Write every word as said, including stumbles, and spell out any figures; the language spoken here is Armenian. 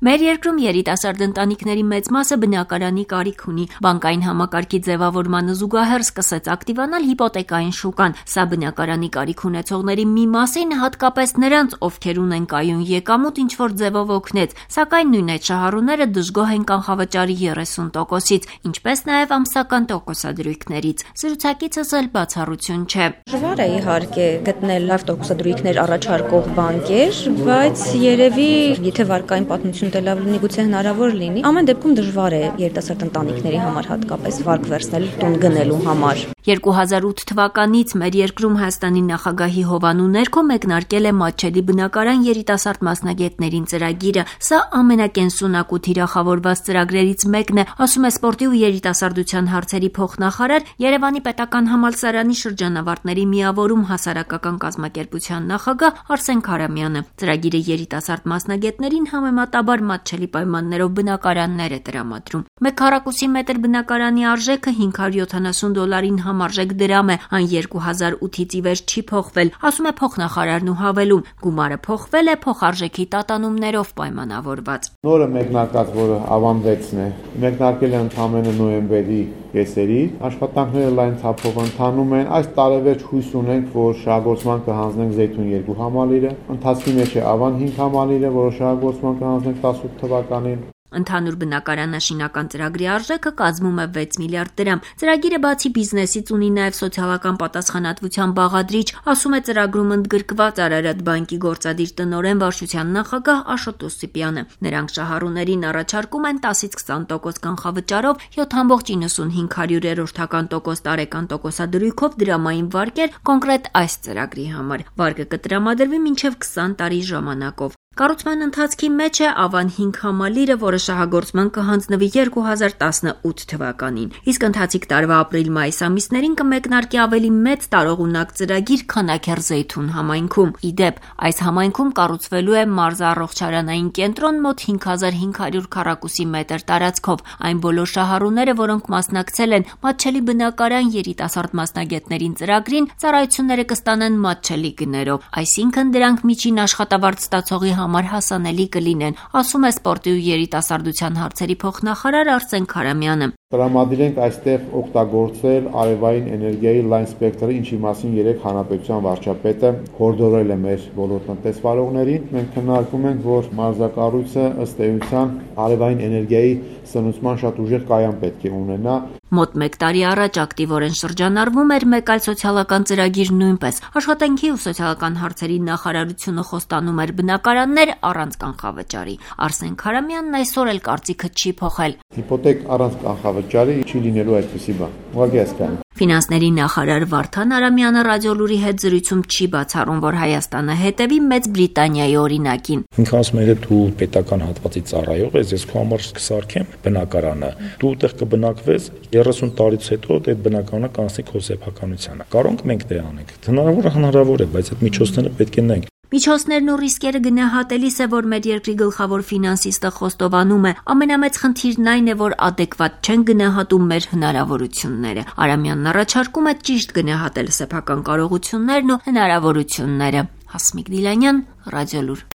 Մեր երկրում երիտասարդ ընտանիքների մեծ մասը բնակարանի կարիք ունի։ Բանկային համակարգի ձևավորմանը զուգահեռ սկսեց ակտիվանալ հիպոթեկային շուկան։ Սա բնակարանի կարիք ունեցողների մի մասին, հատկապես նրանց, ովքեր ունեն կայուն եկամուտ, ինչ-որ ձևով օգնեց, սակայն նույն այդ շահառուները դժգոհ են կանխավճարի երեսուն տոկոսից, ինչպես նաև ամսական տոկոսադրույքներից։ Զրուցակիցս էլ բացառություն չէ։ Դժվար է իհարկե գտնել լավ տոկոսադրույքներ առաջարկող բանկեր, բայց երևի եթե վարկային պատմություն դելավ լինի, գուցե հնարավոր լինի։ Ամեն դեպքում դժվար է երիտասարդ ընտանիքների համար հատկապես վարկ վերցնել տուն գնելու համար։ երկու հազար ութ թվականից մեր երկրում Հայաստանի նախագահի հովանու ներքո մեկնարկել է Մատչելի բնակարան երիտասարդ մասնագետներին ծրագիրը։ Սա ամենակենսունակ ու թիրախավորված ծրագրերից մեկն է, ասում է սպորտի ու երիտասարդության հարցերի փոխնախարար, Երևանի պետական համալսարանի շրջանավարտների միավորում հասարակական կազմակերպության նախագահ Արսեն Քարամյանը։ Ծրագիրը երիտասարդ մասնագետներին համեմատաբար մատչելի պայմաններով բնակարաններ է տրամադրում։ Մեկ քառակուսի մետր բնակարանի արժեքը հինգ հարյուր յոթանասուն դոլարին համարժեք դրամ է, այն երկու հազար ութից ի վեր չի փոխվել, ասում է փոխնախարարն ու հավելում, գումարը փոխվել է փոխարժեքի տատանումներով պայմանավորված։ Նորը մեկնարկած, որը ավանդվեցն է, մեկնարկել է ընդամենը նոյեմբերի կեսերից, աշխատանքները լայն թափով ընթանում են, այս տարեվերջ հույս ունենք, որ շահագործման կհանձնենք Զեյթուն երկու համալիրը, ընթացքի մեջ է Ավան հինգ համալիրը, որը շահագործման կհանձնենք տասնութ թվականին։ Ընդհանուր բնակարանաշինական ծրագրի արժեքը կազմում է վեց միլիարդ դրամ։ Ծրագիրը բացի բիզնեսից ունի նաև սոցիալական պատասխանատվության բաղադրիչ, ասում է ծրագրում ընդգրկված Արարատ բանկի գործադիր տնօրեն վարչության նախագահ Աշոտ Օսիպյանը։ Նրանք շահառուներին առաջարկում են տասից քսան տոկոս կանխավճարով յոթ կόμμα իննսունհինգ հարյուրերորդական տոկոս տարեկան տոկոսադրույքով դրամային վարկեր կոնկրետ այս ծրագրի համար։ Վարկը կտրամադրվի մինչև քսան տարի ժամանակով։ Կառուցման ընթացքի մեջ է Ավան հինգ համալիրը, որը շահագործման կհանձնվի երկու հազար տասնութ թվականին։ Իսկ ընթացիկ տարվա ապրիլ-մայիս ամիսներին կմեկնարկի ավելի մեծ տարողունակ ծրագիր Քանաքեռ Զեյթուն համայնքում։ Ի դեպ, այս համայնքում կառուցվելու է մարզառողջարանային կենտրոն մոտ հինգ հազար հինգ հարյուր քառակուսի մետր տարածքով։ Այն բոլոր շահառուները, որոնք մասնակցել են Մատչելի բնակարան երիտասարդ մասնագետներին ծրագրին, ծառայությունները կստանան Մատչելի գներով, այսինքն դրանք միջին աշխատավարձ ստացողի համար հասանելի կլինեն, ասում է սպորտի ու երիտասարդության հարցերի փոխնախարար Արսեն Քարամյանը։ Տրամադրենք այստեղ օգտագործել արևային էներգիայի լայն սպեկտրը, ինչի մասին երեք հանրապետության վարչապետը հորդորել է մեր բոլոր տնտեսվարողներին։ Մենք քննարկում ենք, որ մարզակառույցը ըստ էության արևային էներգիայի սնուցման շատ ուժեղ կայան պետք է ունենա։ Մոտ մեկ տարի առաջ ակտիվորեն շրջանառվում էր մեկ այլ սոցիալական ծրագիր նույնպես։ Աշխատանքի ու սոցիալական հարցերի նախարարությունը խոստանում էր բնակարաններ առանց կանխավճարի։ Արսեն Քարամյանն այսօր էլ կարծիքը չի փոխել։ Հիպոթեք առանց կանխավճարի չի լինելու այդպիսի բան։ Ուղղակի հասկանում։ Ֆինանսների նախարար Վարդան Արամյանը Ռադիոլուրի հետ զրույցում չի բացառում, որ Հայաստանը հետևի Մեծ Բրիտանիայի օրինակին։ Ինքը ասում է, դու պետական հատվածի ծառայող ես, ես քո համար կսարքեմ բնակարանը։ Դու այդտեղ կբնակվես, երեսուն տարուց հետո այդ բնակարանը կանցնի քո սեփականությանը։ Կարող մենք դե անենք։ Հնարավոր է, հնարավոր է, բայց այդ միջոցները պետք է նայենք։ Միջոցներն ու ռիսկերը գնահատելիս է, որ մեր երկրի գլխավոր ֆինանսիստը խոստովանում է, ամենամեծ խնդիրն այն է, որ ադեկվատ չեն գնահատում մեր հնարավորությունները։ Արամյանն առաջարկում է ճիշտ գնահատել սեփական կարողություններն ու հնարավորությունները։ Հասմիկ Դիլանյան, Ռադիոլուր։